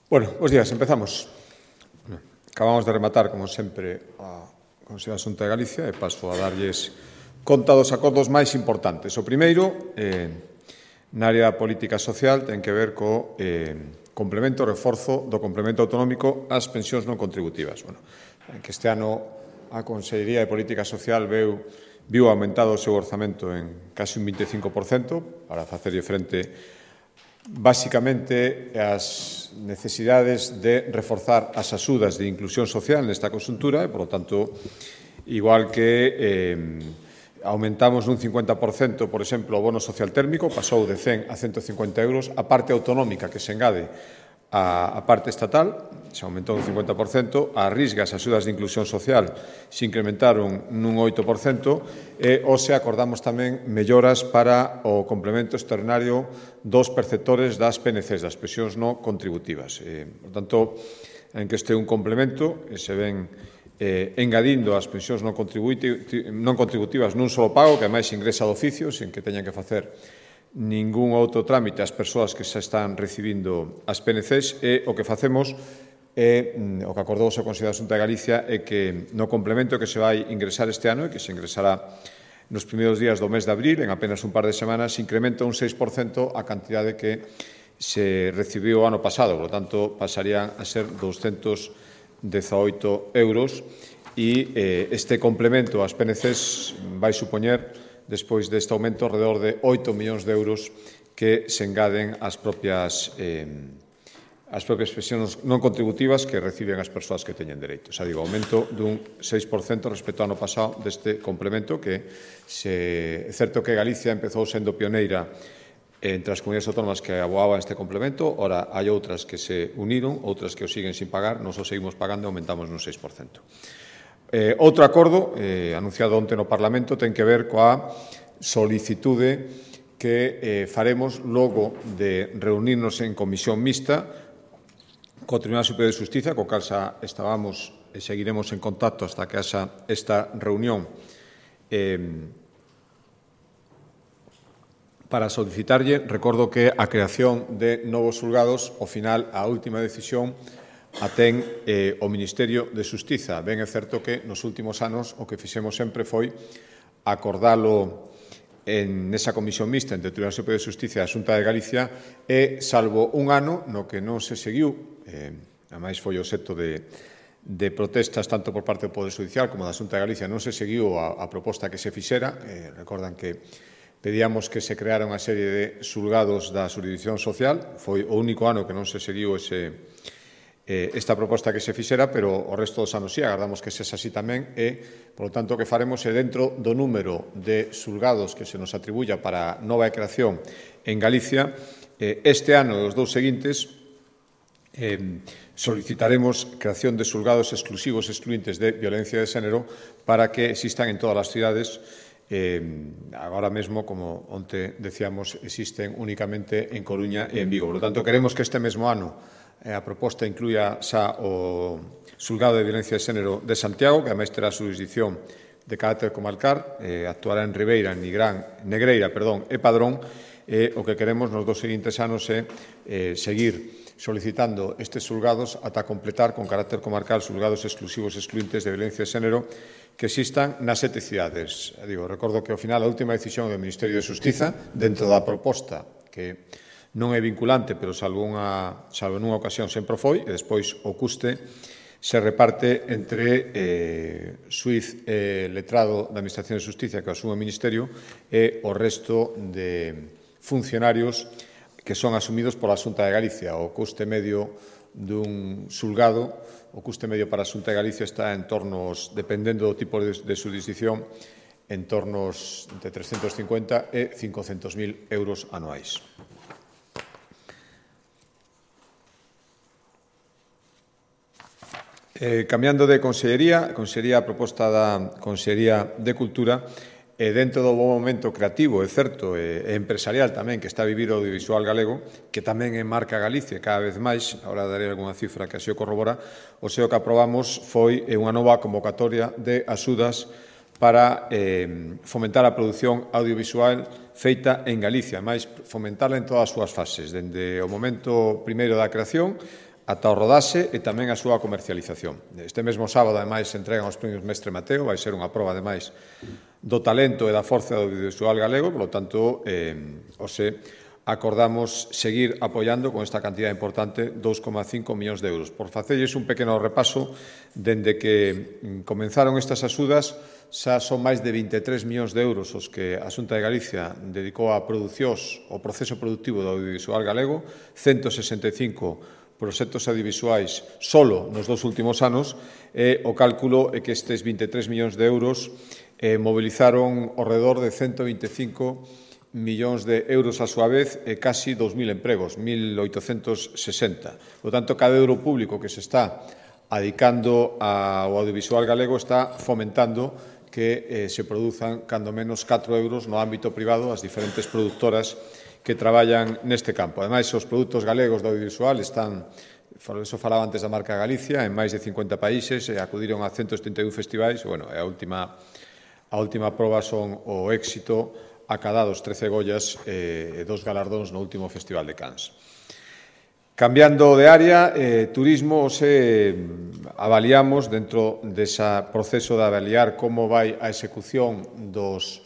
Bueno, bos días, empezamos. Acabamos de rematar, como sempre, a Consello da Xunta de Galicia e paso a darlles conta dos acordos máis importantes. O primeiro, na área da política social, ten que ver co complemento e reforzo do complemento autonómico ás pensións non contributivas. Bueno, que este ano a Consellería de Política Social viu aumentado o seu orzamento en casi un 25% para facerlle frente basicamente as necesidades de reforzar as axudas de inclusión social nesta conxuntura e, por lo tanto, igual que aumentamos nun 50%, por exemplo, o bono social térmico, pasou de 100 a 150 euros, a parte autonómica que se engade a parte estatal, se aumentou un 50%, as risgas, as axudas de inclusión social se incrementaron nun 8% e hoxe acordamos tamén melloras para o complemento extraordinario dos perceptores das PNCs, das pensións non contributivas. Por tanto, en que este é un complemento e se ven engadindo as pensións non contributivas nun solo pago, que ademais ingresa de oficio, sen que teñan que facer ningún outro trámite as persoas que xa están recibindo as PNCs e o que facemos é, o que acordou o Consello da Xunta de Galicia é que no complemento que se vai ingresar este ano e que se ingresará nos primeiros días do mes de abril, en apenas un par de semanas, se incrementa un 6% a cantidade que se recibiu o ano pasado, por lo tanto, pasarían a ser 218 euros e este complemento ás PNCs vai supoñer despois deste aumento, alrededor de 8 millóns de euros que se engaden ás propias pensións non contributivas que reciben as persoas que teñen dereito. Xa digo, aumento dun 6% respecto ao ano pasado deste complemento que é certo que Galicia empezou sendo pioneira entre as comunidades autónomas que aboaban este complemento, ora hai outras que se uniron, outras que o siguen sin pagar, nos o seguimos pagando e aumentamos nun 6%. Outro acordo, anunciado onte no Parlamento, ten que ver coa solicitude que faremos logo de reunirnos en comisión mixta co Tribunal Superior de Xustiza, co cal xa estábamos e seguiremos en contacto hasta que haxa esta reunión para solicitarlle. Recordo que a creación de novos xulgados, ao final, a última decisión a ten o Ministerio de Xustiza. Ben, é certo que nos últimos anos o que fixemos sempre foi acordalo nesa comisión mixta entre o Tribunal Superior de Xustiza e a Xunta de Galicia e, salvo un ano no que non se seguiu, ademais foi obxecto de protestas tanto por parte do Poder Judicial como da Xunta de Galicia, non se seguiu a proposta que se fixera. Recordan que pedíamos que se creara unha serie de xulgados da xurisdicción social, foi o único ano que non se seguiu esta proposta que se fixera, pero o resto dos anos sí, agardamos que sexa así tamén e, por lo tanto, o que faremos é dentro do número de xulgados que se nos atribuya para nova creación en Galicia, este ano e os dous seguintes solicitaremos creación de xulgados exclusivos excluintes de violencia de xénero para que existan en todas as cidades. Agora mesmo, como onte decíamos, existen únicamente en Coruña e en Vigo. Por lo tanto, queremos que este mesmo ano a proposta incluía xa o xulgado de violencia de xénero de Santiago, que ademais terá xurisdicción de carácter comarcal, actuará en Ribeira, Negreira e Padrón. O que queremos nos dos seguintes anos é seguir solicitando estes xulgados ata completar con carácter comarcal xulgados exclusivos excluintes de violencia de xénero que existan nas 7 cidades. Recordo que ao final a última decisión do Ministerio de Xustiza, dentro da proposta que non é vinculante, pero salvo nunha ocasión sempre foi, e despois o custe se reparte entre xuiz e letrado da Administración de Xustiza que asume o Ministerio e o resto de funcionarios que son asumidos pola Xunta de Galicia. O custe medio dun xulgado, o custe medio para a Xunta de Galicia está en tornos, dependendo do tipo de xurisdicción, en tornos entre 350 e 500.000 euros anuais. Cambiando de consellería, a proposta da Consellería de Cultura, dentro do bo momento creativo, é certo, e empresarial tamén, que está a vivir o audiovisual galego, que tamén enmarca Galicia cada vez máis, agora darei algunha cifra que así o corrobora, o que aprobamos foi unha nova convocatoria de axudas para fomentar a produción audiovisual feita en Galicia, máis fomentarla en todas as súas fases, dende o momento primeiro da creación ata o rodaxe e tamén a súa comercialización. Este mesmo sábado, ademais, se entregan os premios Mestre Mateo, vai ser unha proba, ademais, do talento e da forza do audiovisual galego, por lo tanto, acordamos seguir apoiando con esta cantidad importante, 2,5 millóns de euros. Por facelles un pequeno repaso, dende que comenzaron estas axudas, xa son máis de 23 millóns de euros os que a Xunta de Galicia dedicou a producións, o proceso productivo do audiovisual galego, 165 proxectos audiovisuais solo nos 2 últimos anos, e o cálculo é que estes 23 millóns de euros movilizaron ao redor de 125 millóns de euros a súa vez e casi 2.000 empregos, 1.860. Por tanto, cada euro público que se está adicando ao audiovisual galego está fomentando que se produzan cando menos 4 euros no ámbito privado as diferentes productoras que traballan neste campo. Ademais, os produtos galegos do audiovisual están, por eso falaba antes da marca Galicia, en máis de 50 países, e acudiron a 171 festivais, a última proba son o éxito acadados 13 Goyas e 2 galardóns no último Festival de Cannes. Cambiando de área, turismo, avaliamos dentro dese proceso de avaliar como vai a execución dos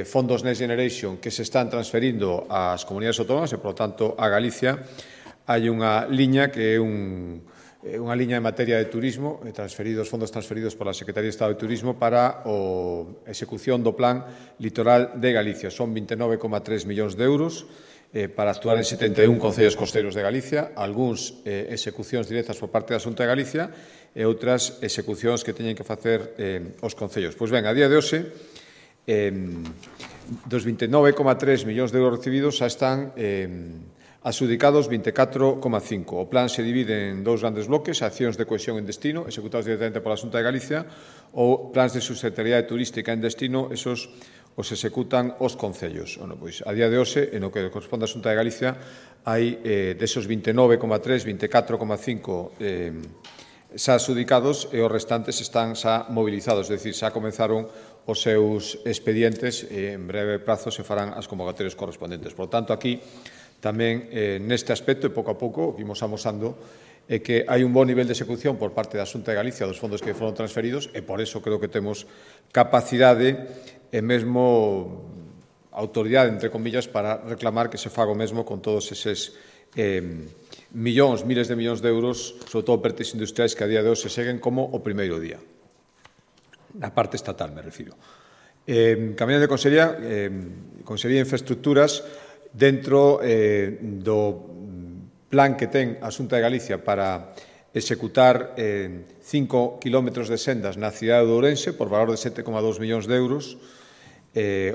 fondos Next Generation que se están transferindo ás comunidades autónomas e, por tanto, a Galicia. Hai unha liña que é unha liña en materia de turismo, fondos transferidos pola Secretaría de Estado de Turismo para a execución do Plan Litoral de Galicia. Son 29,3 millóns de euros para actuar en 71 concellos costeiros de Galicia, algúns execucións directas por parte da Xunta de Galicia e outras execucións que teñen que facer os concellos. Pois ben, a día de hoxe, dos 29,3 millóns de euros recibidos xa están adxudicados 24,5. O plan se divide en 2 grandes bloques: accións de cohesión en destino, executados directamente pola Xunta de Galicia, ou plans de sustentabilidade turística en destino, esos os executan os concellos. Pois, a día de hoxe, en o que corresponde á Xunta de Galicia, hai desos 29,3, 24,5 xa adxudicados e os restantes están xa mobilizados, é dicir, xa comenzaron os seus expedientes e en breve prazo se farán as convocatorias correspondentes. Por tanto, aquí tamén neste aspecto, e pouco a pouco, o que imos amosando, é que hai un bon nivel de execución por parte da Xunta de Galicia dos fondos que foron transferidos e por eso creo que temos capacidade e mesmo autoridade, entre comillas, para reclamar que se faga o mesmo con todos eses miles de millóns de euros, sobre todo pertes industriais que a día de hoxe seguen como o primeiro día. Na parte estatal, me refiro. Cambiando de Consellería, Consellería de Infraestructuras, dentro do plan que ten a Xunta de Galicia para executar 5 kilómetros de sendas na cidade de Ourense por valor de 7,2 millóns de euros,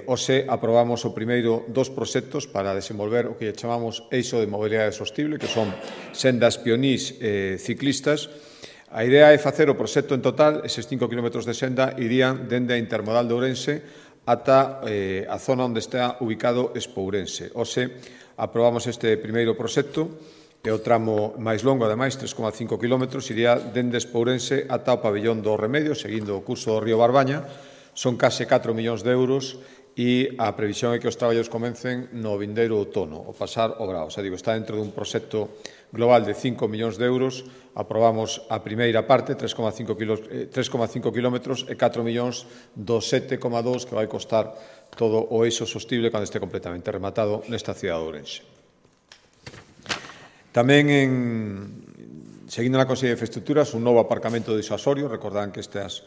hoxe aprobamos o primeiro dos proxectos para desenvolver o que chamamos eixo de mobilidade sostible, que son sendas pionís ciclistas. A idea é facer o proxecto en total, eses 5 kilómetros de senda irían dende a intermodal de Ourense ata a zona onde está ubicado Expourense. Hoxe aprobamos este primeiro proxecto, e o tramo máis longo, ademais, 3,5 kilómetros, iría dende Expourense ata o pabellón do Remedio, seguindo o curso do río Barbaña. Son case 4 millóns de euros e a previsión é que os traballos comecen no vindeiro outono, o pasar o grao. Está dentro dun proxecto global de 5 millóns de euros. Aprobamos a primeira parte, 3,5 kilómetros, e 4 millóns dos 7,2 que vai costar todo o eixo sostible cando este completamente rematado nesta cidade de Ourense. Tamén seguindo na Consellería de Infraestructuras, un novo aparcamento disuasorio. Recordan que estes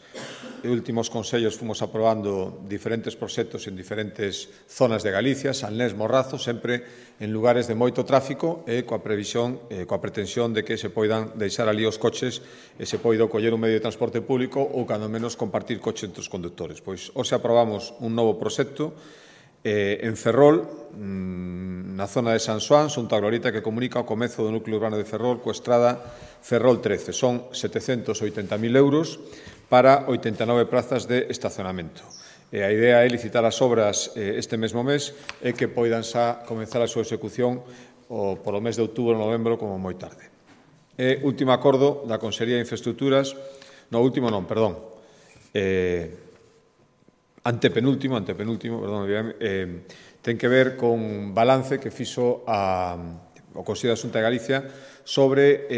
últimos consellos fomos aprobando diferentes proxectos en diferentes zonas de Galicia, Salnés, Morrazo, sempre en lugares de moito tráfico e coa pretensión de que se poidan deixar ali os coches e se poida coller un medio de transporte público ou, cando menos, compartir coche entre os conductores. Pois, hoxe aprobamos un novo proxecto en Ferrol, na zona de San Xoán, Santa Glorita, que comunica o comezo do núcleo urbano de Ferrol coa estrada Ferrol 13. Son 780.000 euros para 89 prazas de estacionamento. A idea é licitar as obras este mesmo mes e que poidan xa comenzar a súa execución polo mes de outubro ou novembro como moi tarde. Último acordo da Consellería de Infraestructuras, antepenúltimo, ten que ver con balance que fixo o Consello da Xunta de Galicia sobre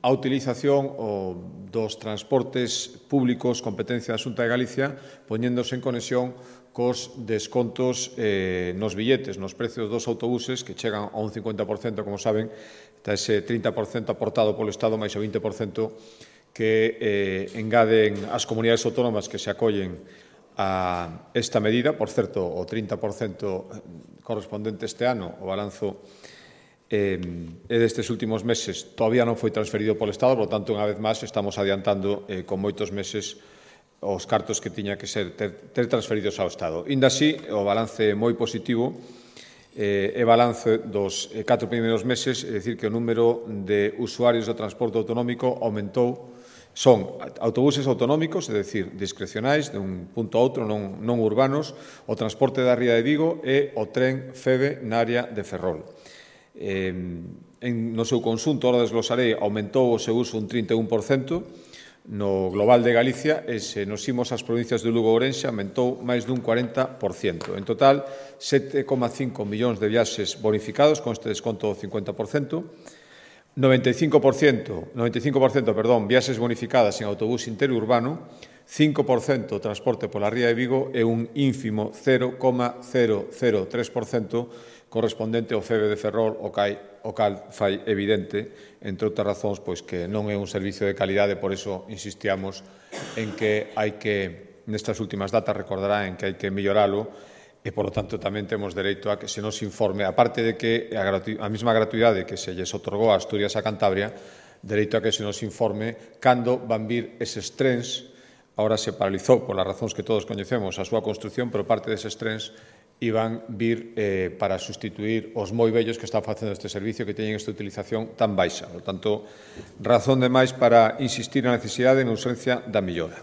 a utilización dos transportes públicos competencia da Xunta de Galicia, poñéndose en conexión cos descontos nos billetes, nos precios dos autobuses, que chegan a un 50%, como saben, está ese 30% aportado polo Estado, máis o 20% que engaden as comunidades autónomas que se acollen a esta medida. Por certo, o 30% correspondente este ano, o balanzo destes últimos meses todavía non foi transferido polo Estado, por lo tanto, unha vez máis, estamos adiantando con moitos meses os cartos que tiña que ser ter transferidos ao Estado. Inda así, o balance é moi positivo, é balance dos 4 primeiros meses, é dicir, que o número de usuarios do transporte autonómico aumentou. Son autobuses autonómicos, é dicir, discrecionais, de un punto a outro, non urbanos, o transporte da Ría de Vigo e o tren FEBE na área de Ferrol. No seu conxunto, ahora desglosarei, aumentou o seu uso un 31%, no global de Galicia, e se nos imos ás provincias de Lugo e Ourense, aumentou máis dun 40%. En total, 7,5 millóns de viaxes bonificados, con este desconto do 50%, 95%, viaxes bonificadas en autobús interurbano, 5% transporte pola Ría de Vigo e un ínfimo 0,003% correspondente ao FEBE de Ferrol, o cal fai evidente, entre outras razóns, pois que non é un servicio de calidade, por iso insistíamos en que hai que, nestas últimas datas, recordará en que hai que melloralo, e, polo tanto, tamén temos dereito a que se nos informe, aparte de que a mesma gratuidade que se lles otorgou a Asturias e a Cantabria, dereito a que se nos informe cando van vir eses trens. Ahora se paralizou, polas razóns que todos coñecemos, a súa construción, pero parte deses trens iban vir para sustituir os moi vellos que están facendo este servicio, que teñen esta utilización tan baixa. Por tanto, razón de máis para insistir na necesidade e na urxencia da mellora.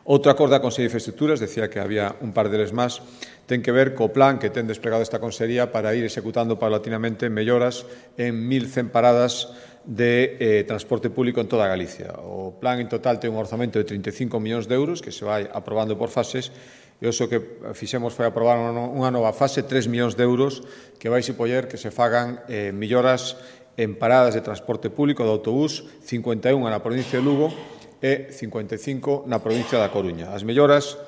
Outro acordo da Consellería de Infraestructuras, decía que había un par deles máis, ten que ver co plan que ten desplegado esta Consellería para ir executando paulatinamente melloras en 1.100 paradas de transporte público en toda Galicia. O plan en total ten un orzamento de 35 millóns de euros que se vai aprobando por fases, e o que fixemos foi aprobar unha nova fase, 3 millóns de euros, que vai supoñer que se fagan melloras en paradas de transporte público de autobús, 51 na provincia de Lugo e 55 na provincia da Coruña. As melloras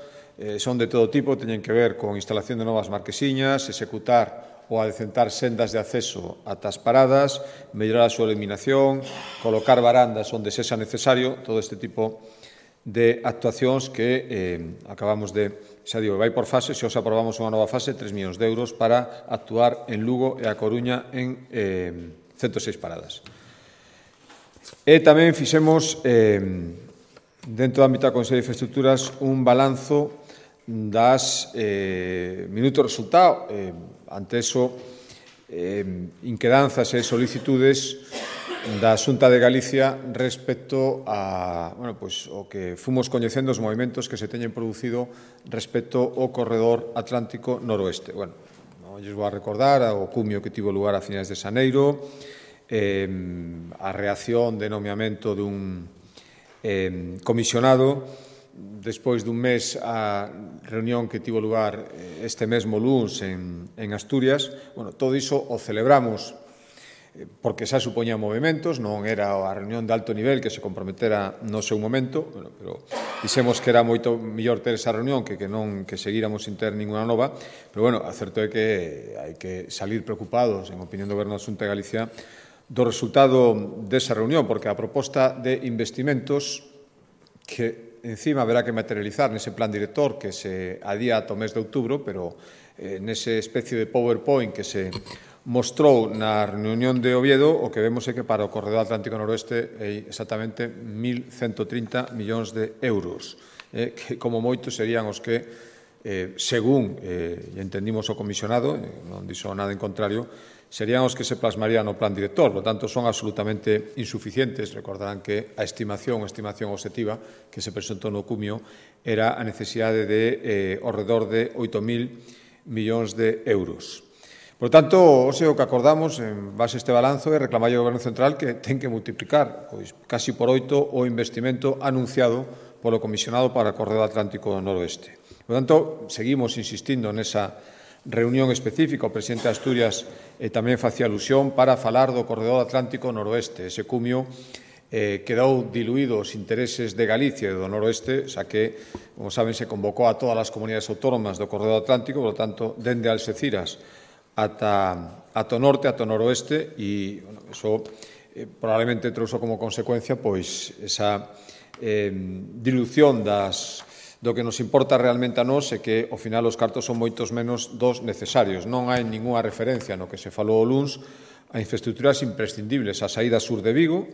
son de todo tipo, teñen que ver con instalación de novas marquesiñas, executar ou adecentar sendas de acceso ata as paradas, mellorar a súa iluminación, colocar barandas onde sexa necesario, todo este tipo de actuacións que acabamos de, xa digo, vai por fase, se os aprobamos unha nova fase, 3 millóns de euros para actuar en Lugo e a Coruña en 106 paradas. E tamén fixemos, dentro do ámbito da Consellería de Infraestructuras, un balanzo das minutos resultado. Ante eso, inquedanzas e solicitudes da Xunta de Galicia respecto a, o que fomos coñecendo os movimentos que se teñen producido respecto ao corredor Atlántico Noroeste. Non lles vou a recordar o cumio que tivo lugar a finais de xaneiro, a reacción de nomeamento dun comisionado, despois dun mes a reunión que tivo lugar este mesmo luns en Asturias. Todo iso o celebramos porque xa supoñía movimentos, non era a reunión de alto nivel que se comprometera no seu momento, pero dixemos que era moito mellor ter esa reunión que non que seguíramos sin ter ninguna nova, pero, a certo é que hai que salir preocupados, en opinión do Goberno da Xunta de Galicia, do resultado desa reunión, porque a proposta de investimentos que encima haberá que materializar nese plan director que se adía ata o mes de outubro, pero nese especie de PowerPoint que se mostrou na reunión de Oviedo, o que vemos é que para o corredor Atlántico Noroeste é exactamente 1.130 millóns de euros, que como moito serían os que, según entendimos o comisionado, non dixo nada en contrario, serían os que se plasmarían no plan director. Por lo tanto, son absolutamente insuficientes. Recordarán que a estimación obxectiva que se presentou no cumio era a necesidade de ao redor de 8.000 millóns de euros. Por tanto, o que acordamos en base a este balanzo é reclamar ao Goberno Central que ten que multiplicar casi por 8 o investimento anunciado polo comisionado para o corredor Atlántico Noroeste. Por tanto, seguimos insistindo nesa reunión específica, o presidente de Asturias tamén facía alusión para falar do corredor atlántico noroeste. Ese cumio quedou diluído os intereses de Galicia e do noroeste, xa que, como saben, se convocou a todas as comunidades autónomas do corredor atlántico, por lo tanto, dende Alxeciras ata o norte, ata o noroeste, e iso probablemente trouxo como consecuencia esa dilución do que nos importa realmente a nós é que, ao final, os cartos son moitos menos dos necesarios. Non hai ningunha referencia no que se falou o luns a infraestructuras imprescindibles, a saída sur de Vigo,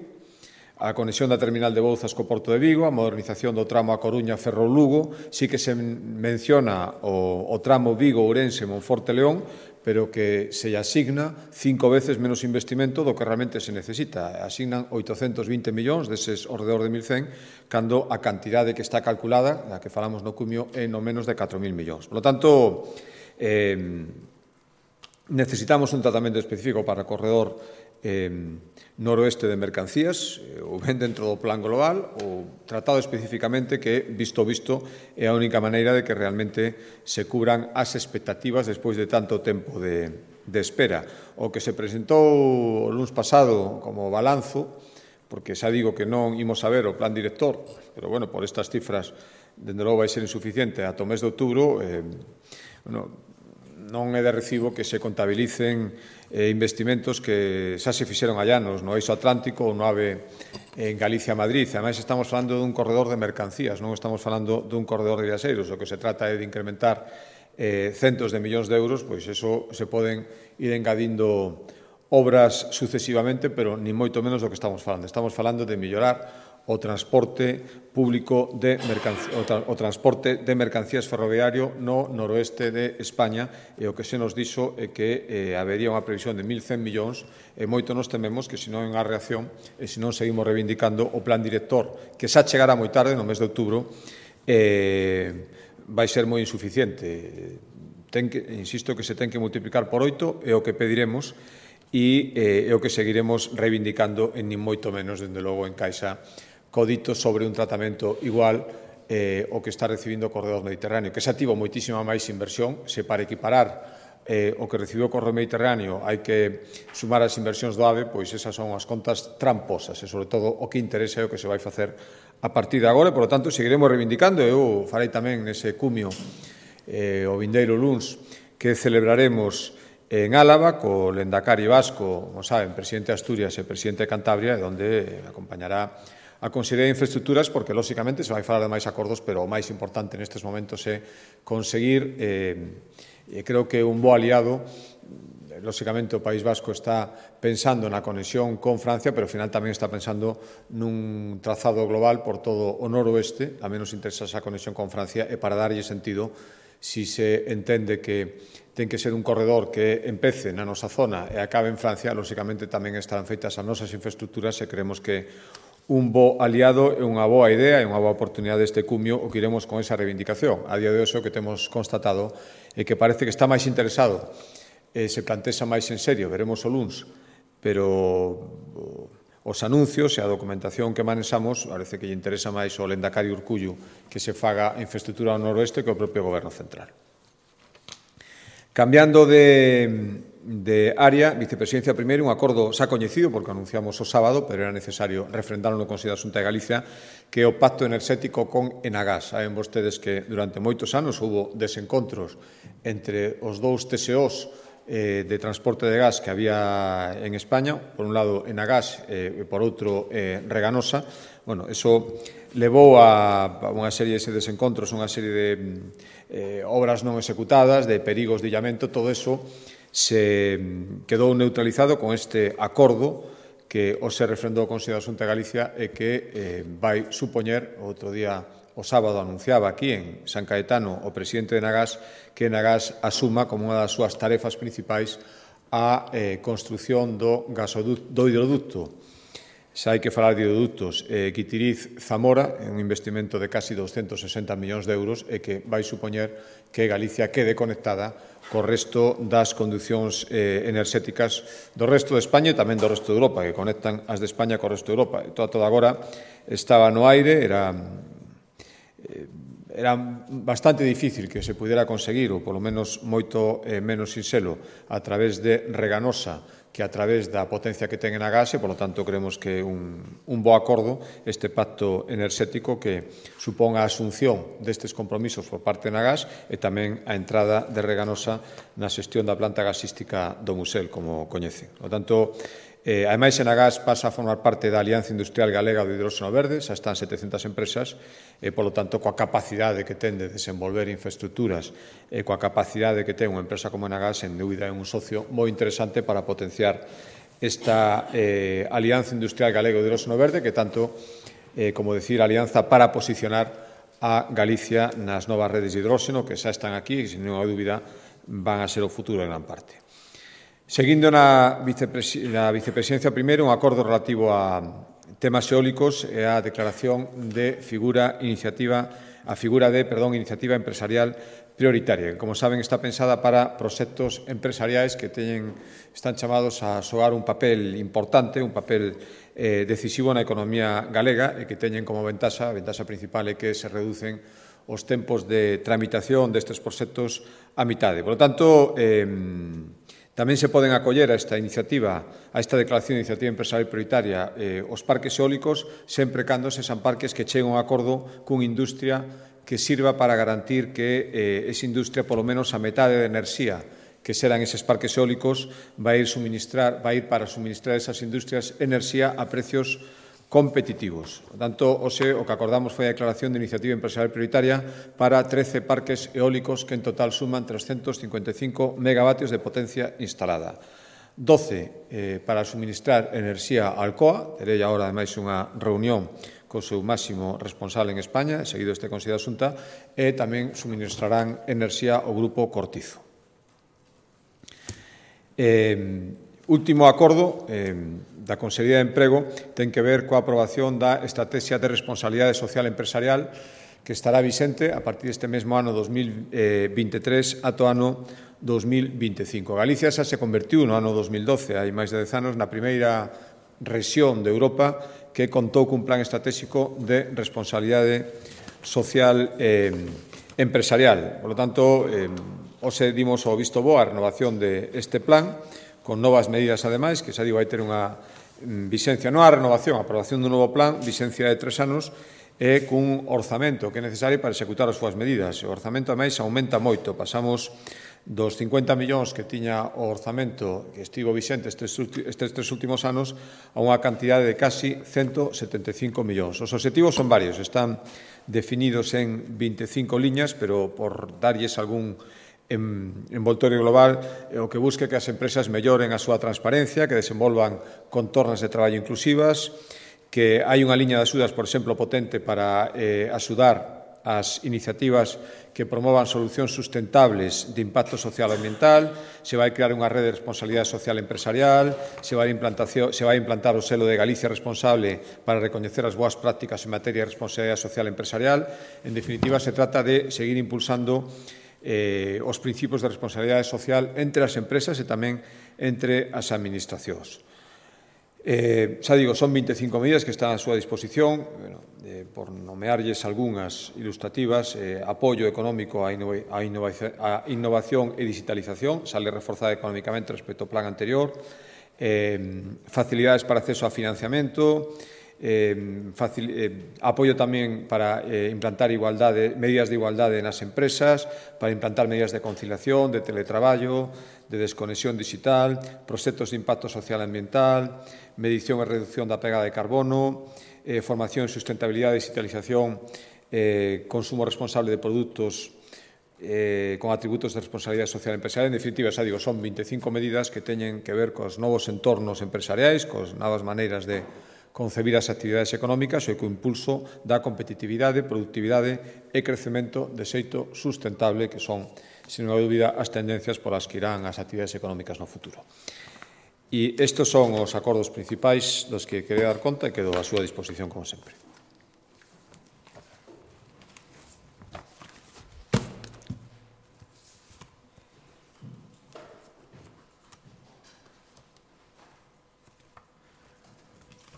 a conexión da terminal de Bouzas co Porto de Vigo, a modernización do tramo a Coruña Ferrol-Lugo, sí que se menciona o tramo Vigo-Ourense-Monforte-León, pero que se asigna 5 veces menos investimento do que realmente se necesita. Asignan 820 millóns deses ao redor de 1.100, cando a cantidade que está calculada, a que falamos no cumio, é no menos de 4.000 millóns. Por lo tanto, necesitamos un tratamento específico para o corredor noroeste de mercancías, ou ben dentro do plan global, ou tratado especificamente que, visto, é a única maneira de que realmente se cubran as expectativas despois de tanto tempo de espera. O que se presentou o luns pasado como balanzo, porque xa digo que non imos a ver o plan director, pero, bueno, por estas cifras, dende logo vai ser insuficiente ata o mes de outubro, non é de recibo que se contabilicen investimentos que xa se fixeron allanos no eixo atlántico ou no AVE en Galicia-Madrid. Ademais, estamos falando dun corredor de mercancías, non estamos falando dun corredor de viaxeiros. O que se trata é de incrementar centos de millóns de euros, pois eso se poden ir engadindo obras sucesivamente, pero ni moito menos do que estamos falando. Estamos falando de mellorar o transporte público o transporte de mercancías ferroviario no noroeste de España, e o que se nos dixo é que habería unha previsión de 1.100 millóns, e moito nos tememos que, se non hai unha reacción, e se non seguimos reivindicando o plan director, que xa chegará moi tarde, no mes de outubro, vai ser moi insuficiente. Insisto que se ten que multiplicar por 8, é o que pediremos, e é o que seguiremos reivindicando, en nin moito menos, dende logo, en Caixa, co dito sobre un tratamento igual o que está recibindo o corredor mediterráneo, que xa tivo moitísima máis inversión. Se para equiparar o que recibiu o corredor mediterráneo hai que sumar as inversións do AVE, pois esas son as contas tramposas, e, sobre todo, o que interesa é o que se vai facer a partir de agora, e, por lo tanto, seguiremos reivindicando. Eu farei tamén nese cumio o vindeiro luns que celebraremos en Álava, co Lendakari vasco, como saben, presidente de Asturias e presidente de Cantabria, onde acompañará a Consellería de Infraestructuras, porque, lóxicamente, se vai falar de máis acordos, pero o máis importante nestes momentos é conseguir, creo que un bo aliado. Lóxicamente, o País Vasco está pensando na conexión con Francia, pero, ao final, tamén está pensando nun trazado global por todo o noroeste. A menos interesa esa conexión con Francia, e para darlle sentido, si se entende que ten que ser un corredor que empece na nosa zona e acabe en Francia, lóxicamente, tamén estarán feitas as nosas infraestructuras, e creemos que un bo aliado é unha boa idea e unha boa oportunidade deste cumio, o que iremos con esa reivindicación. A día de hoxe, o que temos constatado é que parece que está máis interesado, se plantexa máis en serio, veremos o luns, pero os anuncios e a documentación que manexamos parece que lle interesa máis o Lendakari Urkullu que se faga a infraestructura ao noroeste que o propio Goberno Central. Cambiando de área, vicepresidencia primeiro, un acordo xa coñecido porque anunciamos o sábado, pero era necesario refrendarlo no Consello da Xunta de Galicia, que é o pacto enerxético con Enagás. Saben vostedes que durante moitos anos houbo desencontros entre os dous TSOs de transporte de gas que había en España, por un lado Enagás e por outro Reganosa. Bueno, eso levou a unha serie de desencontros, unha serie de obras non executadas, de perigos de illamento. Todo eso se quedou neutralizado con este acordo que hoxe refrendou o Consello da Xunta de Galicia e que vai supoñer, outro día, o sábado, anunciaba aquí en San Caetano o presidente de Enagás, que Enagás asuma como unha das súas tarefas principais a construción do hidroducto. Xa hai que falar de hidroductos. Guitiriz-Zamora, un investimento de casi 260 millóns de euros, e que vai supoñer que Galicia quede conectada co resto das conducións enerxéticas do resto de España e tamén do resto de Europa, que conectan as de España co resto de Europa. Todo agora estaba no aire, era era bastante difícil que se pudera conseguir, ou polo menos moito menos sinxelo, a través de Reganosa que a través da potencia que ten en agás e, polo tanto, creemos que é un bo acordo este pacto enerxético que supón a asunción destes compromisos por parte de Nagás e tamén a entrada de Reganosa na xestión da planta gasística do Musel, como coñecen. Por tanto, ademais, Enagás pasa a formar parte da Alianza Industrial Galega do Hidróxeno Verde, xa están 700 empresas, e, polo tanto, coa capacidade que ten de desenvolver infraestructuras e coa capacidade que ten unha empresa como Enagás, en dúbida é un socio moi interesante para potenciar esta Alianza Industrial Galega do Hidróxeno Verde, que tanto, como decir, alianza para posicionar a Galicia nas novas redes de hidróxeno que xa están aquí e, sin ninguna dúbida, van a ser o futuro en gran parte. Seguindo na vicepresidencia primeiro, un acordo relativo a temas eólicos e a declaración de iniciativa empresarial prioritaria, que, como saben, está pensada para proxectos empresariais que están chamados a xogar un papel importante, un papel decisivo na economía galega e que teñen como a ventaxa principal é que se reducen os tempos de tramitación destes proxectos a mitade. Por lo tanto, tamén se poden acoller a esta declaración de iniciativa empresarial prioritaria os parques eólicos, sempre cando sexan parques que cheguen a un acordo cunha industria que sirva para garantir que esa industria, polo menos a metade de enerxía que serán eses parques eólicos, vai ir para suministrar esas industrias enerxía a precios competitivos. Por tanto, o que acordamos foi a declaración de iniciativa empresarial prioritaria para 13 parques eólicos que en total suman 355 megavatios de potencia instalada. 12 para suministrar enerxía a Alcoa, terei agora ademais unha reunión co seu máximo responsable en España, seguido este Consello de Xunta, e tamén suministrarán enerxía ao Grupo Cortizo. Último acordo da Consellería de Emprego ten que ver coa aprobación da Estrategia de Responsabilidade Social Empresarial que estará vixente a partir deste mesmo ano 2023 ata o ano 2025. Galicia xa se convertiu no ano 2012, hai máis de 10 anos, na primeira rexión de Europa que contou cun plan estratégico de responsabilidade social empresarial. Por lo tanto, hoxe dimos o visto bo a renovación deste plan con novas medidas, ademais, que xa digo, vai ter unha vixencia, non a renovación, a aprobación dun novo plan, vixencia de 3 anos, e cun orzamento que é necesario para executar as súas medidas. O orzamento, ademais, aumenta moito. Pasamos dos 50 millóns que tiña o orzamento que estivo vixente estes 3 últimos anos a unha cantidade de casi 175 millóns. Os obxectivos son varios, están definidos en 25 liñas, pero por darlles algún envoltorio global, o que busque que as empresas melloren a súa transparencia, que desenvolvan contornas de traballo inclusivas, que hai unha liña de axudas, por exemplo, potente para axudar as iniciativas que promovan solucións sustentables de impacto social e ambiental, se vai crear unha rede de responsabilidade social empresarial, se vai implantar o selo de Galicia Responsable para recoñecer as boas prácticas en materia de responsabilidade social empresarial. En definitiva, se trata de seguir impulsando os principios de responsabilidade social entre as empresas e tamén entre as administracións. Xa digo, son 25 medidas que están á súa disposición, por nomearlles algunhas ilustrativas, apoio económico á innovación e digitalización, sale reforzada económicamente respecto ao plan anterior, facilidades para acceso a financiamento, apoio tamén para implantar medidas de igualdade nas empresas, para implantar medidas de conciliación, de teletraballo, de desconexión digital, proxectos de impacto social e ambiental, medición e reducción da pegada de carbono, formación en sustentabilidade, digitalización, consumo responsable de produtos con atributos de responsabilidade social empresarial. En definitiva, xa digo, son 25 medidas que teñen que ver cos novos entornos empresariais, cos novas maneiras de concebir as actividades económicas e co impulso da competitividade, productividade e crecemento de xeito sustentable, que son, sin dúbida, as tendencias polas que irán as actividades económicas no futuro. E estes son os acordos principais dos que quería dar conta e quedo á súa disposición, como sempre.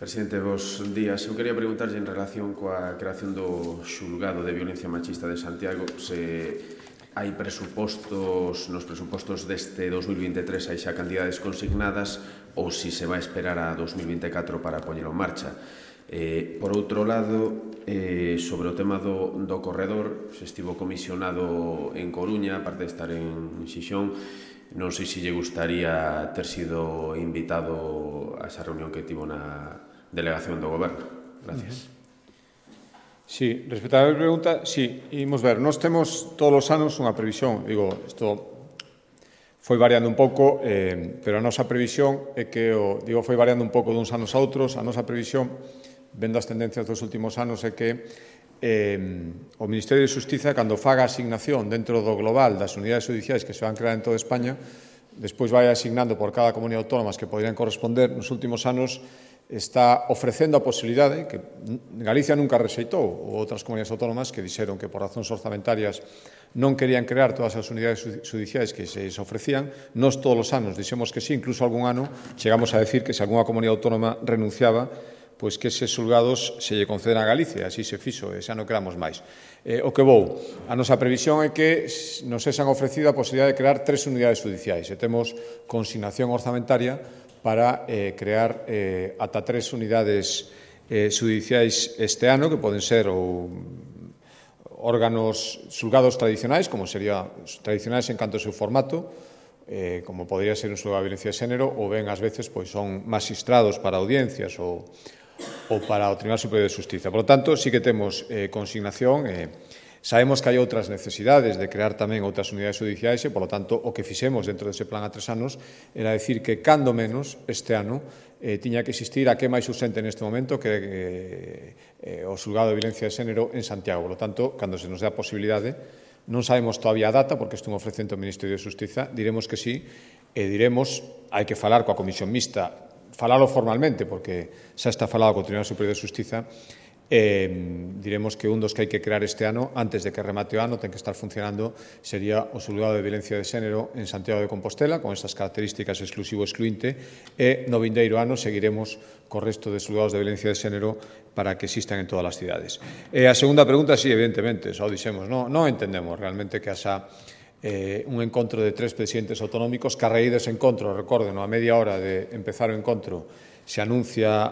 Presidente, bos días. Eu quería preguntarlle en relación coa creación do xulgado de violencia machista de Santiago se hai presupostos, nos presupostos deste 2023 hai xa cantidades consignadas ou se se vai esperar a 2024 para poñelo en marcha. Por outro lado, sobre o tema do corredor, se estivo comisionado en Coruña, aparte de estar en Xixón, non sei se lle gustaría ter sido invitado a esa reunión que tivo na delegación do Goberno. Gracias. Sí, respecto á pregunta, sí, imos ver, nós temos todos os anos unha previsión, digo, isto foi variando un pouco, pero a nosa previsión é que, foi variando un pouco duns anos a outros, a nosa previsión, vendo as tendencias dos últimos anos, é que o Ministerio de Xustiza, cando faga a asignación dentro do global das unidades judiciais que se van crear en toda España, despois vai asignando por cada comunidade autónoma que poderían corresponder, nos últimos anos está ofrecendo a posibilidade, que Galicia nunca rexeitou, ou outras comunidades autónomas que dixeron que por razóns orzamentarias non querían crear todas as unidades judiciais que se ofrecían. Nós todos os anos dixemos que sí, incluso algún ano chegamos a decir que se algunha comunidade autónoma renunciaba, pois que eses xulgados se lle conceden a Galicia, así se fixo, e xa non queramos máis. O que vou, a nosa previsión é que nos sean ofrecido a posibilidade de crear 3 unidades judiciais, e temos consignación orzamentaria para crear ata 3 unidades judiciais este ano, que poden ser órganos xulgados tradicionais, como sería tradicionais en canto ao seu formato, como podría ser un xulgado de violencia de xénero, ou ben, ás veces, pois son magistrados para audiencias ou para o Tribunal Superior de Xustiza. Por lo tanto, sí que temos consignación. Sabemos que hai outras necesidades de crear tamén outras unidades judiciais e, por lo tanto, o que fixemos dentro dese plan a 3 anos era decir que, cando menos, este ano, tiña que existir a que máis urxente neste momento que o xulgado de violencia de xénero en Santiago. Por lo tanto, cando se nos dé a posibilidade, non sabemos todavía a data, porque isto é un ofrecente ao Ministerio de Xustiza, diremos que sí, e diremos, hai que falar coa Comisión Mixta, falalo formalmente, porque xa está falado co Tribunal Superior de Xustiza, diremos que un dos que hai que crear este ano, antes de que remate o ano, ten que estar funcionando, sería o xulgado de violencia de xénero en Santiago de Compostela, con estas características exclusivo e excluinte, e no vindeiro ano seguiremos co resto de xulgados de violencia de xénero para que existan en todas as cidades. E a segunda pregunta, sí, evidentemente, xa o dixemos, non entendemos realmente que haxa un encontro de 3 presidentes autonómicos, que a raíz dese encontro, recorden, a media hora de empezar o encontro, se anuncia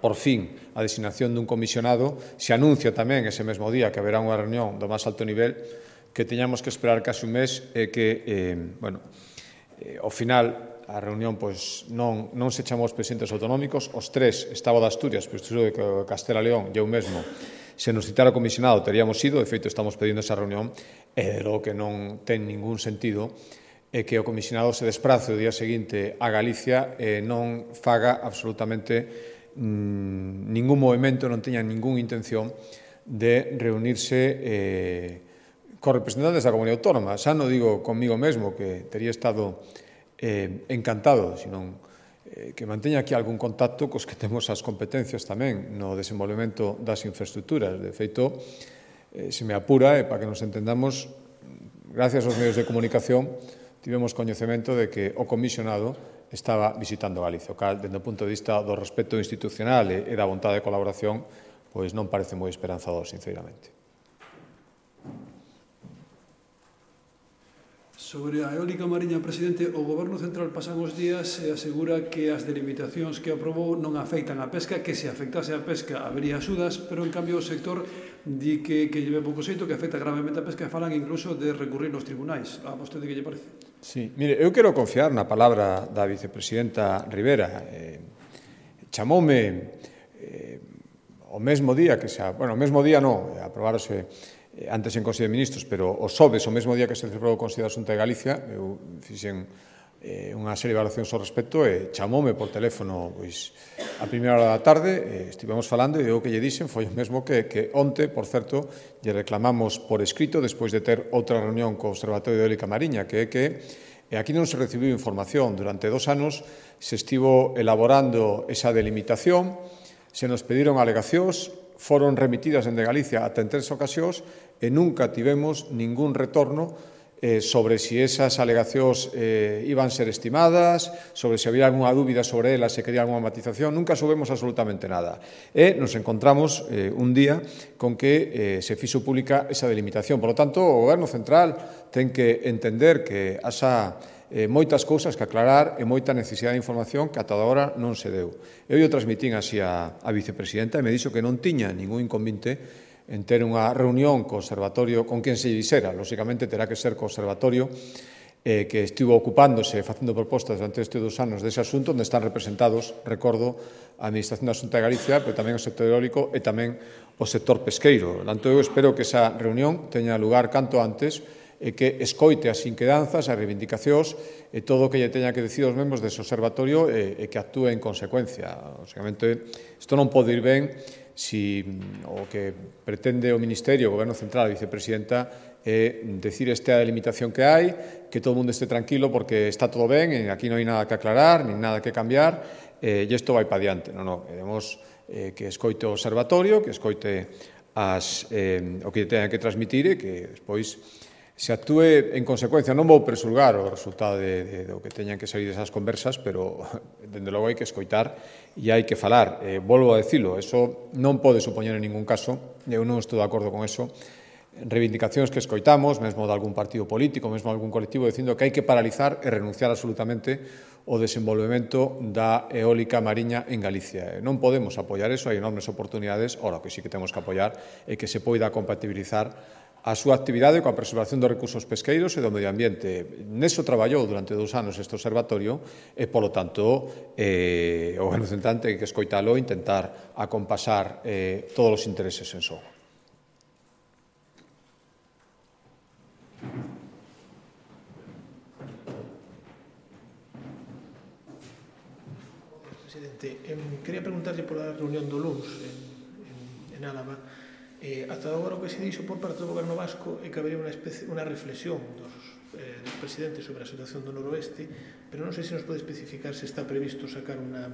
por fin a designación dun comisionado, se anuncia tamén ese mesmo día que haberá unha reunión do máis alto nivel, que teñamos que esperar casi un mes e que, ao final, a reunión non se chamou os presidentes autonómicos, os 3, Estado de Asturias, pero isto de Castela e León, e eu mesmo, se nos citara o comisionado teríamos ido, de feito estamos pedindo esa reunión, e lo que non ten ningún sentido é que o comisionado se desprace o día seguinte a Galicia e non faga absolutamente ningún movimento, non teña ninguna intención de reunirse con representantes da comunidade autónoma. Xa non digo comigo mesmo, que tería estado encantado, sino que manteña aquí algún contacto cos que temos as competencias tamén no desenvolvemento das infraestructuras. De feito, se me apura, para que nos entendamos, gracias aos medios de comunicación, tivemos coñecemento de que o comisionado estaba visitando Galicia, o cal, dende o punto de vista do respeto institucional e da vontade de colaboración, pois non parece moi esperanzador, sinceramente. Sobre a eólica mariña, presidente, o Goberno Central pasan os días e asegura que as delimitacións que aprobou non afectan a pesca, que se afectase a pesca habería axudas, pero en cambio o sector di que lleve pouco xeito, que afecta gravemente a pesca e falan incluso de recurrir nos tribunais. A vostede que lle parece? Sí, mire, eu quero confiar na palabra da vicepresidenta Rivera. Chamoume o mesmo día que o mesmo día non, aprobárose antes en Consello de Ministros, pero o xoves, o mesmo día que se celebrou o Consello da Xunta de Galicia, eu fixen unha serie de evaluacións ao respecto e chamoume por teléfono a primeira hora da tarde, estivemos falando e o que lle dixen foi o mesmo que onte, por certo, lle reclamamos por escrito despois de ter outra reunión co Observatorio de Eólica Mariña, que é que aquí non se recibiu información. Durante 2 anos se estivo elaborando esa delimitación, se nos pediron alegacións, foron remitidas dende Galicia ata en 3 ocasións e nunca tivemos ningún retorno sobre si esas alegacións iban ser estimadas, sobre se había algunha dúbida sobre elas, se quería algunha matización, nunca soubemos absolutamente nada. E nos encontramos un día con que se fixo pública esa delimitación. Por lo tanto, o Goberno Central ten que entender que asa moitas cousas que aclarar e moita necesidade de información que ata agora non se deu. Eu transmitín así a vicepresidenta e me dixo que non tiña ningún inconvinte en ter unha reunión co Observatorio con quen se dixera. Lóxicamente terá que ser co Observatorio que estivo ocupándose e facendo propostas durante estes 2 anos dese asunto, onde están representados, recordo, a Administración da Xunta de Galicia, pero tamén o sector eólico e tamén o sector pesqueiro. Tanto, eu espero que esa reunión teña lugar canto antes e que escoite as inquedanzas, as reivindicacións e todo o que lle teña que dicir os membros dese observatorio e que actúe en consecuencia. Lóxicamente, isto non pode ir ben si o que pretende o Ministerio, o Goberno Central, a Vicepresidenta, é decir esta delimitación que hai, que todo o mundo este tranquilo porque está todo ben, e aquí non hai nada que aclarar, nin nada que cambiar, e isto vai para diante. Non, queremos que escoite o observatorio, que escoite o que teña que transmitir e que despois se actúe en consecuencia. Non vou presulgar o resultado do que teñan que salir desas conversas, pero, dende logo, hai que escoitar e hai que falar. Volvo a decirlo, eso non pode supoñer en ningún caso, eu non estou de acordo con eso, reivindicacións que escoitamos, mesmo de algún partido político, mesmo de algún colectivo, dicindo que hai que paralizar e renunciar absolutamente o desenvolvemento da eólica mariña en Galicia. Non podemos apoiar eso, hai enormes oportunidades. Ora, o que sí que temos que apoiar é que se poida compatibilizar a súa actividade coa preservación dos recursos pesqueiros e do medio ambiente. Neso traballou durante 2 anos este observatorio e, polo tanto, o Goberno Central ten que escoitalo e intentar acompasar todos os intereses en xogo. Presidente, quería preguntarlle pola reunión do LUNS en Álava. Ata agora o que se dixo por parte do Goberno Vasco é que habería unha reflexión dos presidentes sobre a situación do noroeste, pero non sei se nos pode especificar se está previsto sacar unha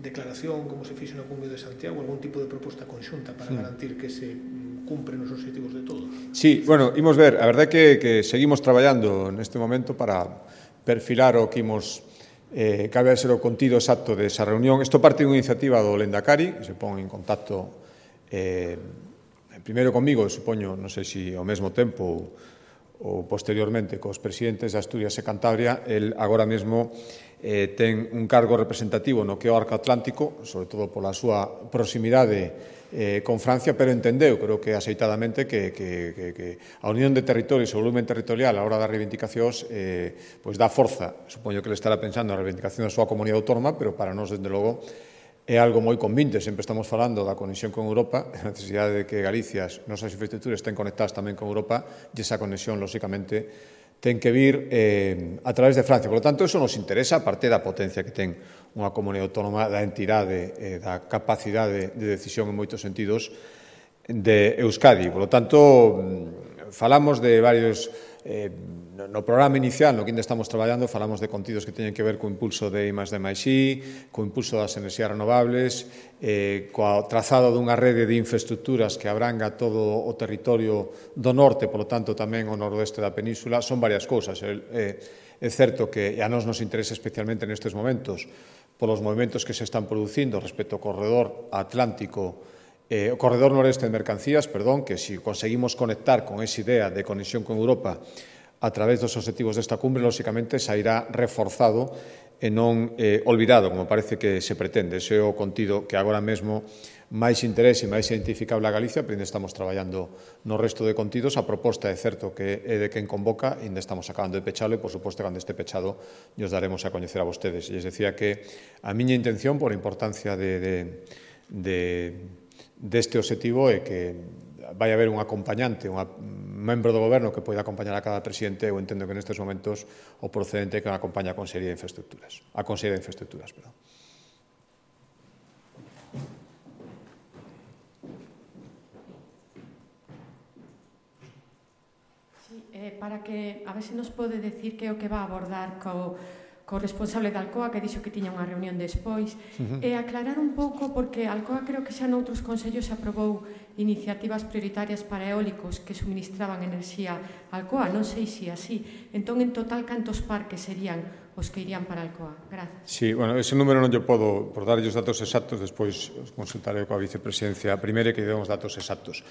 declaración, como se fixo no Cumio de Santiago, algún tipo de proposta conxunta para garantir que se cumpren os objetivos de todos. Sí, bueno, imos ver, a verdade é que seguimos traballando neste momento para perfilar o que imos cabe a ser o contido exacto desa reunión. Isto parte de unha iniciativa do Lendakari, que se pon en contacto primeiro comigo, supoño, non sei se ao mesmo tempo ou posteriormente cos presidentes de Asturias e Cantabria. El agora mesmo ten un cargo representativo no que é o Arco Atlántico, sobre todo pola súa proximidade con Francia, pero entendeu, creo que aceitadamente, que a unión de territorios, o volumen territorial a hora das reivindicacións dá forza. Supoño que ele estará pensando na reivindicación da súa comunidade autónoma, pero para nós, desde logo, é algo moi convinte. Sempre estamos falando da conexión con Europa, a necesidade de que Galicia, nosas infraestructuras estén conectadas tamén con Europa, e esa conexión, lóxicamente, ten que vir a través de Francia. Por lo tanto, eso nos interesa, a parte da potencia que ten unha comunidade autónoma, da entidade, da capacidade de decisión en moitos sentidos de Euskadi. Por lo tanto, falamos de varios... No programa inicial, no que ainda estamos traballando, falamos de contidos que teñen que ver co impulso de I+D+I, co impulso das enerxías renovables, coa trazado dunha rede de infraestructuras que abranga todo o territorio do norte, polo tanto tamén o noroeste da península. Son varias cousas. É certo que a nos interesa especialmente nestes momentos polos movimentos que se están producindo respecto ao corredor atlántico, o corredor noreste de mercancías, que se conseguimos conectar con esa idea de conexión con Europa a través dos objetivos desta cumbre, lóxicamente, sairá reforzado e non olvidado, como parece que se pretende. Ese é o contido que agora mesmo máis interese e máis identificable a Galicia, pero ainda estamos traballando no resto de contidos. A proposta é certo que é de quen convoca, ainda estamos acabando de pechalo e, por suposto, cando este pechado, nos daremos a coñecer a vostedes. E les decía que a miña intención, por a importancia deste obxectivo, é que vai haber un acompañante, un membro do goberno que poida acompañar a cada presidente. Eu entendo que nestes momentos o procedente é que acompaña a Consellería de Infraestructuras. A Consellería de Infraestructuras, perdón. Sí, para que, a ver se nos pode decir que é o que va a abordar co co responsable da Alcoa, que dixo que tiña unha reunión despois, e aclarar un pouco, porque Alcoa creo que xa noutros consellos aprobou iniciativas prioritarias para eólicos que suministraban enerxía a Alcoa, non sei se así. Entón, en total, cantos parques serían os que irían para Alcoa? Gracias. Sí, bueno, ese número non lle podo, por darlle os datos exactos, despois os consultaré coa vicepresidencia primeira que lle den os datos exactos.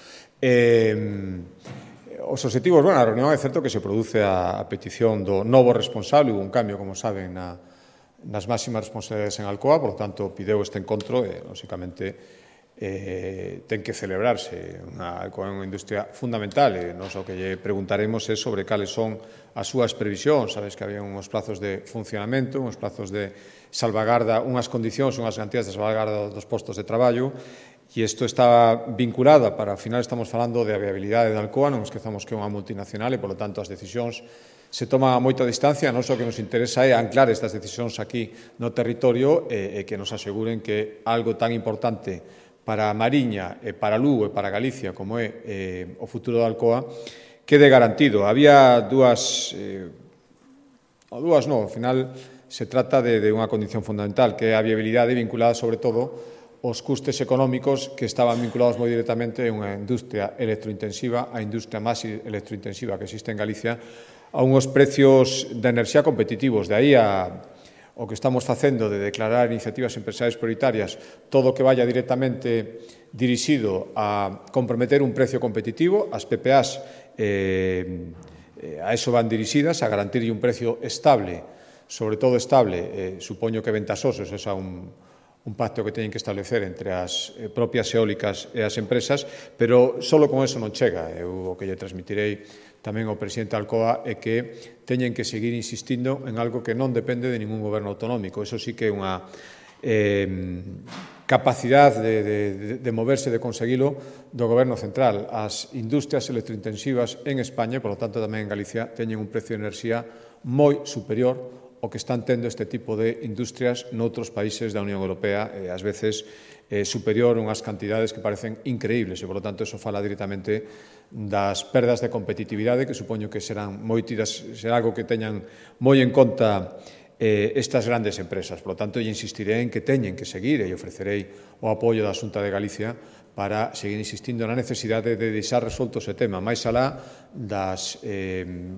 Os objetivos, bueno, a reunión é certo que se produce a petición do novo responsable, hubo un cambio, como saben, nas máximas responsabilidades en Alcoa, por lo tanto, pideu este encontro e, lógicamente, ten que celebrarse. Alcoa é unha industria fundamental e nos o que lle preguntaremos é sobre cales son as súas previsións. Sabes que había uns plazos de funcionamento, uns plazos de salvagarda, unhas condicións, unhas garantías de salvagarda dos postos de traballo. E isto está vinculado para, ao final estamos falando de a viabilidade da Alcoa, non esquezamos que é unha multinacional e, polo tanto, as decisións se toman a moita distancia. Non só que nos interesa é anclar estas decisións aquí no territorio e que nos aseguren que algo tan importante para a Mariña, e para Lugo e para Galicia, como é o futuro da Alcoa, quede garantido. Había dúas non, ao final se trata de unha condición fundamental, que é a viabilidade vinculada, sobre todo, os custes económicos que estaban vinculados moi directamente a unha industria electrointensiva, a industria máis electrointensiva que existe en Galicia, a unhos precios de enerxía competitivos. De aí o que estamos facendo de declarar iniciativas empresariais prioritarias, todo o que vaya directamente dirixido a comprometer un precio competitivo, as PPAs a eso van dirixidas, a garantir un precio estable, sobre todo estable, supoño que ventasoso, ese é un pacto que teñen que establecer entre as propias eólicas e as empresas, pero só con eso non chega. Eu o que lle transmitirei tamén ao presidente Alcoa é que teñen que seguir insistindo en algo que non depende de ningún goberno autonómico. Eso sí que é unha capacidade de moverse, de conseguilo do goberno central. As industrias electrointensivas en España, por lo tanto tamén en Galicia, teñen un precio de enerxía moi superior o que están tendo este tipo de industrias noutros países da Unión Europea, ás veces superior a unhas cantidades que parecen increíbles e, por lo tanto, eso fala directamente das perdas de competitividade que supoño que serán será algo que teñan moi en conta estas grandes empresas. Por lo tanto, insistiré en que teñen que seguir e ofrecerei o apoio da Xunta de Galicia para seguir insistindo na necesidade de deixar resolto ese tema, máis alá das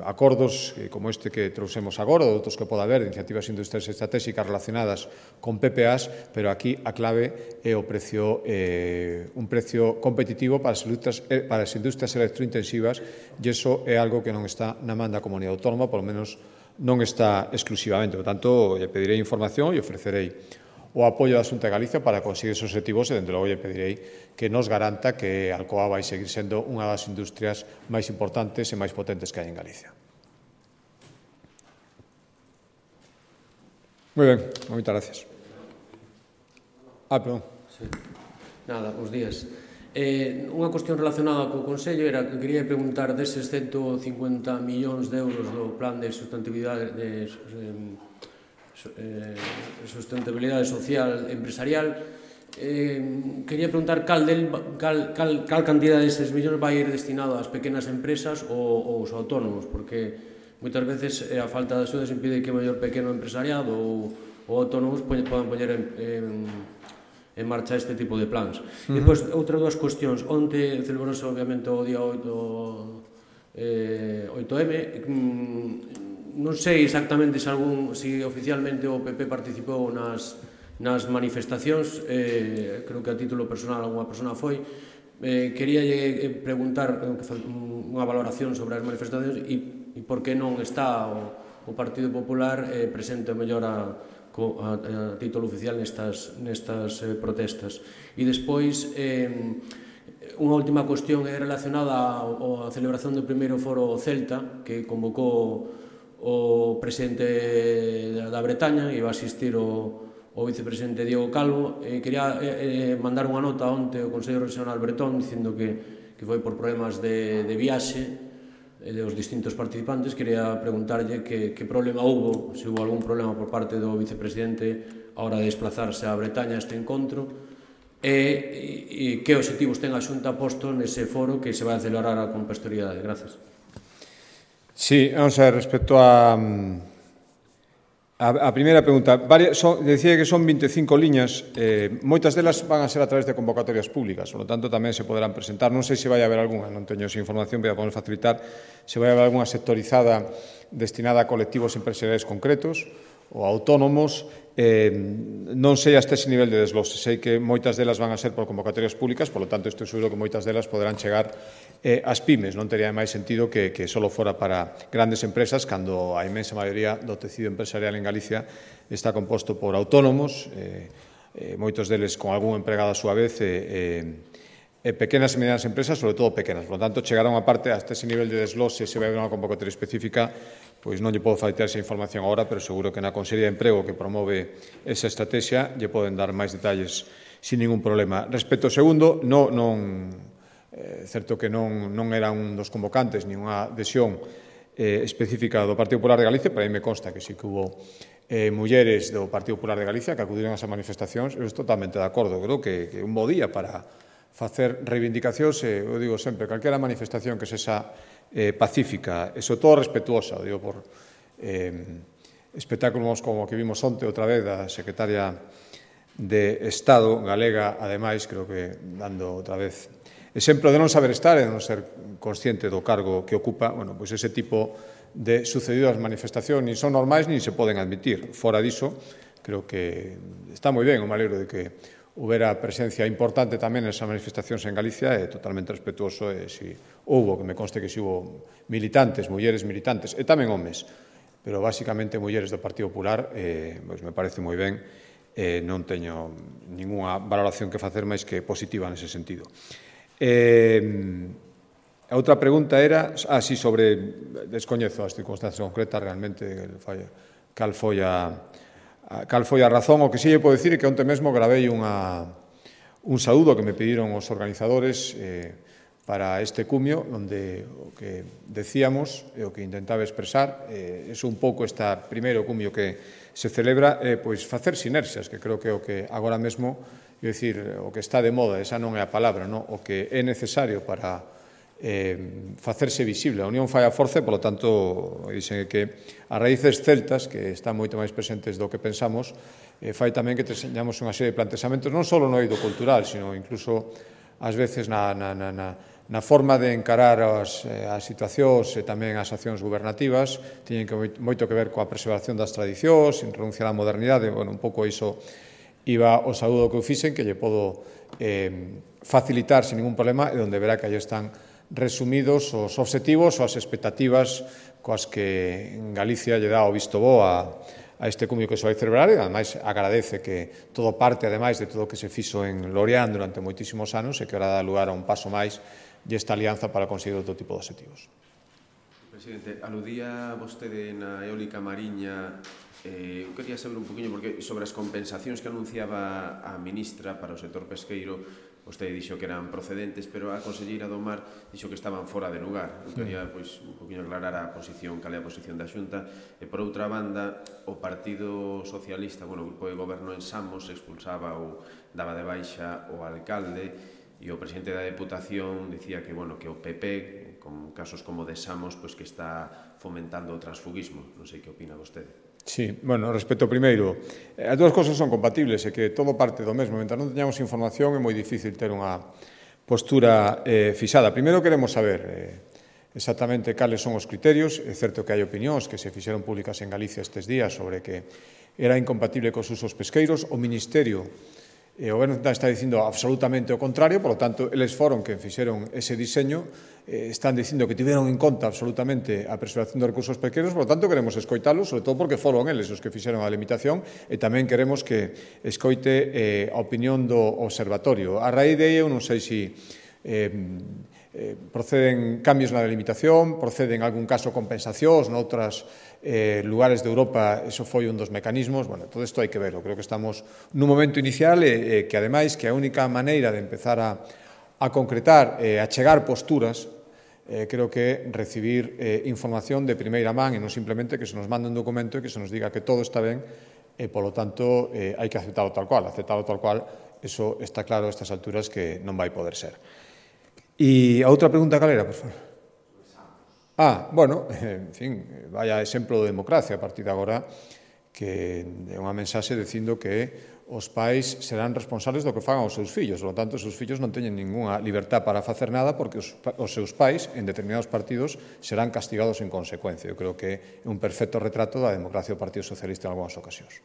acordos como este que trouxemos agora, ou outros que poda haber, de iniciativas industriais estratégicas relacionadas con PPAs, pero aquí a clave é o precio, un precio competitivo para as industrias electrointensivas, e iso é algo que non está na man da comunidade autónoma, polo menos non está exclusivamente. Por tanto, lle pedirei información e ofrecerei o apoio da Xunta de Galicia para conseguir esos objetivos e, dende logo, lle pedirei que nos garanta que Alcoa vai seguir sendo unha das industrias máis importantes e máis potentes que hai en Galicia. Moi ben, moitas gracias. Perdón. Sí. Nada, os días. Unha cuestión relacionada co Consello era que quería preguntar deses 150 millóns de euros do plan de sustentabilidade social empresarial. Quería preguntar cal cantidad destes millóns vai ir destinado ás pequenas empresas ou aos autónomos, porque moitas veces a falta de axudas impide que o mellor pequeno empresariado ou autónomos podan poñer en marcha este tipo de plans. E depois, outras dúas cuestións. Onte celebrouse, obviamente, o día 8M. Non sei exactamente se oficialmente o PP participou nas manifestacións, creo que a título personal alguna persona foi. Quería preguntar unha valoración sobre as manifestacións e por que non está o Partido Popular presente o mellor a título oficial nestas protestas. E despois, unha última cuestión é relacionada á celebración do primeiro foro Celta que convocou o presidente da Bretaña, e iba a asistir o vicepresidente Diego Calvo. Quería mandar unha nota onte ao Consello Regional Bretón dicindo que foi por problemas de viaxe dos distintos participantes. Quería preguntarlle que problema houbo, se houbo algún problema por parte do vicepresidente a hora de desplazarse a Bretaña a este encontro, e que obxectivos ten a Xunta posto nese foro que se vai a celebrar con posterioridade. Gracias. Sí, vamos a ver, respecto a A primeira pregunta, decía que son 25 liñas, moitas delas van a ser a través de convocatorias públicas, por lo tanto tamén se poderán presentar, non sei se vai haber algunha, non teño esa información, pero podemos facilitar, se vai haber algunha sectorizada destinada a colectivos empresariais concretos ou autónomos, non sei hasta ese nivel de desglose, sei que moitas delas van a ser por convocatorias públicas, por lo tanto estou seguro que moitas delas poderán chegar ás pymes, non tería máis sentido que só fora para grandes empresas, cando a imensa maioría do tecido empresarial en Galicia está composto por autónomos, moitos deles con algún empregado a súa vez, pequenas e medianas empresas, sobre todo pequenas. Por lo tanto, chegar a unha parte hasta ese nivel de desglose, se vai haber unha convocatoria específica, pois non lle podo facilitar esa información agora, pero seguro que na Consellería de Emprego que promove esa estrategia lle poden dar máis detalles sin ningún problema. Respecto ao segundo, certo que non era un dos convocantes ni unha adhesión específica do Partido Popular de Galicia, pero aí me consta que sí que hubo mulleres do Partido Popular de Galicia que acudiron a esas manifestacións. Eu estou totalmente de acordo, creo que un bo día para facer reivindicacións, eu digo sempre, calquera manifestación que sexa pacífica e sobre todo respetuosa, digo por espectáculos como o que vimos onte outra vez da secretaria de Estado galega, ademais, creo que dando outra vez exemplo de non saber estar e de non ser consciente do cargo que ocupa, bueno, pois ese tipo de sucedidas manifestacións nin son normais nin se poden admitir. Fora diso, creo que está moi ben, o me alegro de que houbera presencia importante tamén nesas manifestacións en Galicia, é totalmente respetuoso, e si houbo, que me conste que si houbo militantes, mulleres militantes, e tamén homes, pero basicamente mulleres do Partido Popular, pois me parece moi ben, non teño ninguna valoración que facer máis que positiva nese sentido. A outra pregunta era, sobre, descoñezo as circunstancias concretas realmente, cal foi a razón. O que si lle podo dicir é que onte mesmo gravei un saúdo que me pediron os organizadores para este cumio, onde o que decíamos e o que intentaba expresar é un pouco este primeiro cumio que se celebra, pois facer sinerxias, que creo que é o que agora mesmo, é dicir, o que está de moda, esa non é a palabra, o que é necesario para facerse visible. A unión fai a forza, e, polo tanto, dixen que as raíces celtas, que están moito máis presentes do que pensamos, fai tamén que teñamos unha serie de plantexamentos, non só no eido cultural, sino incluso, ás veces, na forma de encarar as situacións e tamén as accións gubernativas, teñen moito que ver coa preservación das tradicións, sin renunciar á modernidade, bueno, un pouco iso iba o saúdo que eu fixen, que lle podo facilitar sin ningún problema, e onde verá que aí están resumidos os obxectivos ou as expectativas coas que en Galicia lle dá o visto bo a este cumio que se vai celebrar, e ademais agradece que todo parte, ademais de todo o que se fixo en Lorián durante moitísimos anos, e que ahora dá lugar a un paso máis e esta alianza para conseguir outro tipo de obxectivos. Presidente, aludía vostede na eólica mariña. Eu quería saber un poquinho, porque sobre as compensacións que anunciaba a ministra para o sector pesqueiro, vostede dixo que eran procedentes, pero a conselleira do Mar dixo que estaban fora de lugar. Eu quería un poquinho aclarar a posición, cal é a posición da Xunta. E por outra banda, o Partido Socialista, o grupo de goberno en Samos, expulsaba ou daba de baixa o alcalde, e o presidente da Deputación dicía que o PP, con casos como de Samos, que está fomentando o transfugismo. Non sei que opina vostede. Sí, respecto ao primeiro, as dúas cosas son compatibles, e que todo parte do mesmo. Mentre non teñamos información é moi difícil ter unha postura fixada. Primeiro queremos saber exactamente cales son os criterios. É certo que hai opinións que se fixeron públicas en Galicia estes días sobre que era incompatible cos usos pesqueiros. O Ministerio e o Goberno está dicindo absolutamente o contrario, por lo tanto, eles foron que fixeron ese diseño, están dicindo que tiveron en conta absolutamente a preservación dos recursos pesqueiros, por lo tanto, queremos escoitalos, sobre todo porque foron eles os que fixeron a limitación, e tamén queremos que escoite a opinión do observatorio. A raíz de aí, eu non sei se proceden cambios na delimitación, proceden, en algún caso, compensacións, noutras lugares de Europa, eso foi un dos mecanismos. Todo isto hai que verlo. Creo que estamos nun momento inicial e que, ademais, que a única maneira de empezar a concretar e a chegar posturas, creo que recibir información de primeira man, e non simplemente que se nos mande un documento e que se nos diga que todo está ben, e, polo tanto, hai que aceptarlo tal cual. Aceptarlo tal cual, eso está claro a estas alturas que non vai poder ser. E a outra pregunta cal era, por favor? En fin, vaya exemplo de democracia a partir de agora, que é unha mensaxe dicindo que os pais serán responsables do que fagan os seus fillos, por lo tanto, os seus fillos non teñen ninguna libertad para facer nada porque os seus pais, en determinados partidos, serán castigados en consecuencia. Eu creo que é un perfecto retrato da democracia do Partido Socialista en algunhas ocasións.